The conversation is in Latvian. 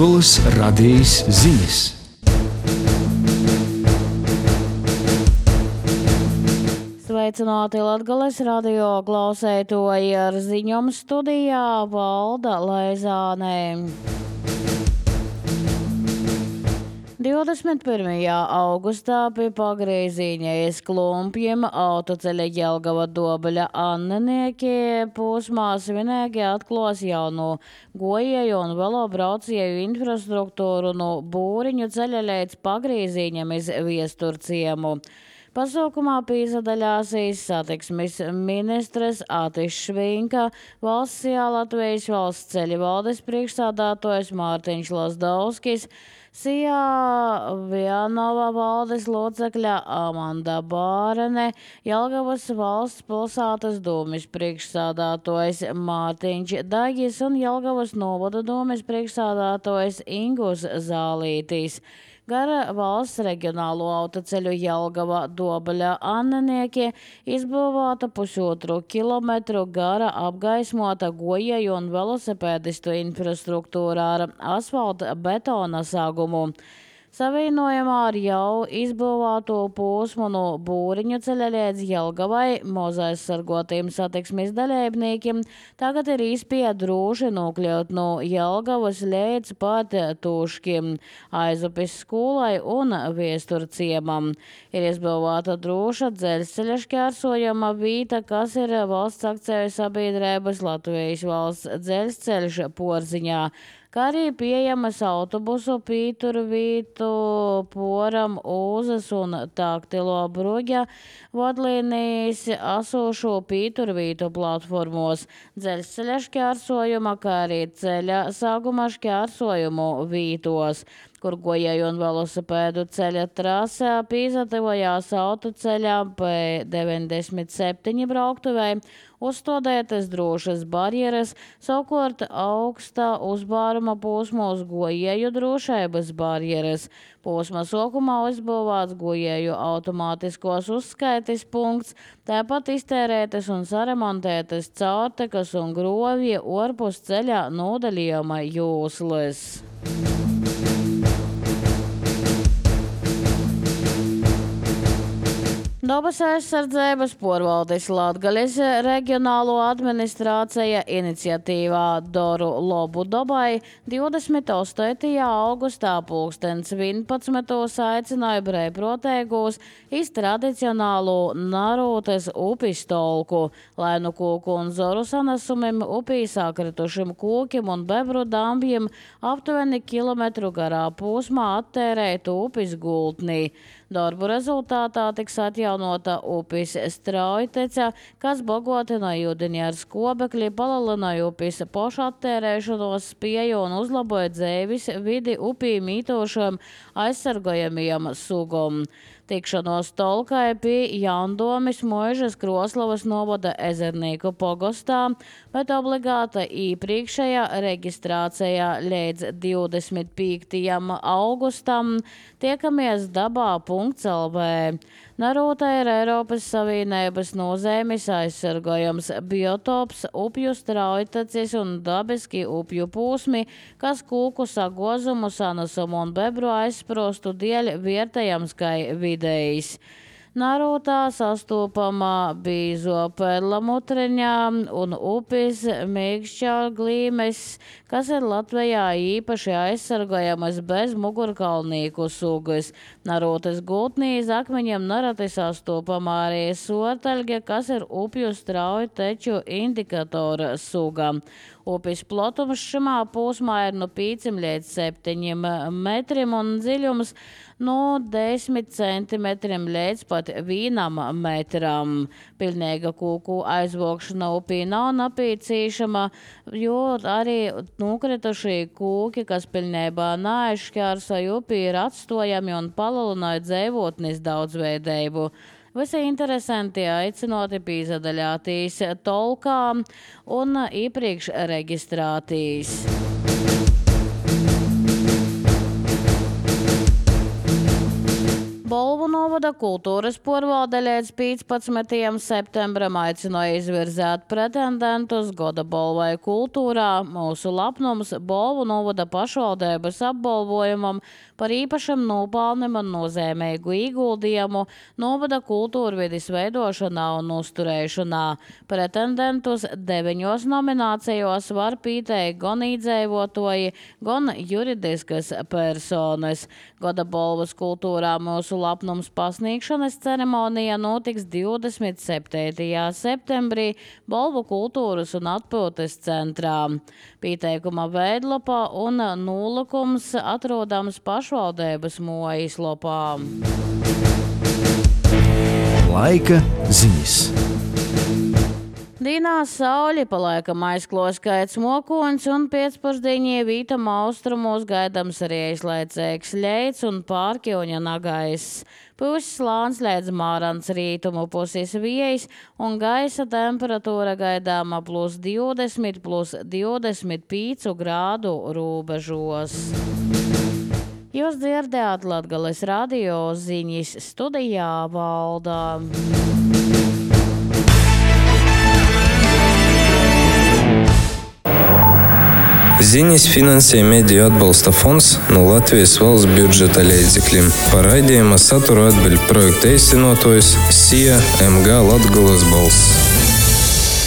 Latgoles radijas ziņas. Sveicināti Latgoles radio klausētoji, ar ziņām studijā Valda Leizāne. 21. augustā pie Pagrīzīņas klumpjiem autoceļa Jelgava-Dobeļa Annenieki posmā svinīgi atklās jaunu gojēju un velobraucēju infrastruktūru no Būriņu ceļa līdz Pagrīzīņam iz Viesturciemu. Pasaukumā piedalījās satiksmes ministres Atis Švinka, valsts Latvijas valsts ceļu valdes priekšsādātājs Mārtiņš Lazdauskis, Sijā Vianova valdes locekļa Amanda Bārene, Jelgavas valsts pilsētas dūmis priekšsādātājs Mārtiņš Dagis un Jelgavas novada dūmis priekšsādātājs Ingus Zālītis. Gara valsts reģionālo autoceļu Jelgava-Dobeļa Annenieki izbūvēta 1,5 kilometru gara apgaismota gojēju un velosipēdistu infrastruktūra ar asfalta betona sagumu. Savienojumā ar jau izbūvēto posmu no Būriņu ceļa līdz Jelgavai mozaizsargotiem satiksmes dalībniekiem tagad ir iespēja droši nokļūt no Jelgavas līdz pat Tūškim, Aizupes skolai un Viesturciemam. Ir izbūvēta droša dzelzceļa šķērsojama vieta, kas ir valsts akciju sabiedrības Latvijas valsts dzelzceļš Porziņā, kā arī pieejamas autobusu Pīturvītu, Poram, Uzas un Taktilo Bruģa vadlīnijas esošo Pīturvītu platformos, dzelzceļa šķērsojuma, kā arī ceļa sākuma šķērsojumu vītos, kur gojēju un velosipēdu ceļa trasē pīzatavojās autoceļā P97 brauktuvei, uzstādētas drošas barjeras, savukārt augstā uzbāruma posmos gojēju drošības barjeras. Posma sākumā uzbūvēts gojēju automātiskos uzskaites punkts, tāpat iztērētas un saremontētas caurtekas un grovji orpus ceļa nodalījuma jūslas. Dabas aizsardzības porvaldes Latgales reģionālo administrācija iniciatīvā Doru lobu dabai 28. augustā 11. aicināja brīvprātīgos iz tradicionālu Narūtes upes tolku, lai no koku un zoru sanesumiem upī sakritušiem kokiem un bebru dambjiem aptuveni kilometru garā posmā attērētu upes gultnī. Darbu rezultātā tiks atjaunota upes straujtece, kas bagātināja ūdeni ar skobekli, palielināja upes pašattērēšanos spēju un uzlaboja dzīves vidi upī mītošiem aizsargājamiem sugam. Tikšanos tolkai pie Jaundomis Moižas Kroslavas novada Ezernīku pogostā, bet obligāta iepriekšējā reģistrācijā līdz 25. augustam tiekamies dabā.lv. Narūta ir Eiropas Savienības nozīmes aizsargājams biotops, upju straujtacis un dabiski upju pūsmi, kas kūku sagozumu, sanesumu un bebru aizsprostu dēļ vērtējams kā vidējs. Narūtā sastopama bīzo perlamutreņā un upes mīkšķā glīmes, kas ir Latvijā īpaši aizsargājamas bez mugurkaulnieku sugas. Narūtas gultnī iz akmeņiem nereti sastopama arī sortaļge, kas ir upju straujteču indikatora suga. Upes platums šimā posmā ir no 5 līdz 7 metriem un dziļums no 10 centimetriem līdz pat 1 metram. Pilnīga kūku aizvokšana upī nav nepieciešama, jo arī nokritušie kūki, kas pilnībā neaizšķērsoja upī, ir atstojami un palielināja dzīvotnes daudzveidību. Visi interesanti aicinoti piedalīties tolkā un iepriekš reģistrēties. Balvu no novada kultūras porvalde līdz 15. septembram aicināja izvirzēt pretendentus goda balvai kultūrā. Mūsu lapnums balvu novada pašvaldības apbalvojumam par īpašam nopelnim un nozīmīgu ieguldījumu novada kultūrvides veidošanā un uzturēšanā. Pretendentus 9 nominācijos var pieteikt gan iedzīvotāji, gan juridiskas personas. Goda balvas kultūrā mūsu lapnums pasniegšanas ceremonija notiks 27. septembrī Balvu kultūras un atpūtas centrā. Pieteikuma veidlapā un nolūkums atrodams pašvaldības mājaslapā. Laika ziņas. Dīnā sauli palaikam aizklos skaits mokoņs un pēcpusdienī vītam austrumos gaidams arī aizlaicīgs ļeids un pārkļuņa nagais. Puses slāns līdz mārans rītumu puses viejas un gaisa temperatūra gaidāma +20, +25 grādu robežos. Jūs dzirdējāt Latgales radio ziņas, studijā Valda. Ziņas finansē Mediju atbalsta fonds no Latvijas valsts budžeta līdzekļiem. Par raidījuma saturu atbild projekta īstenotājs SIA MG Latgales balss.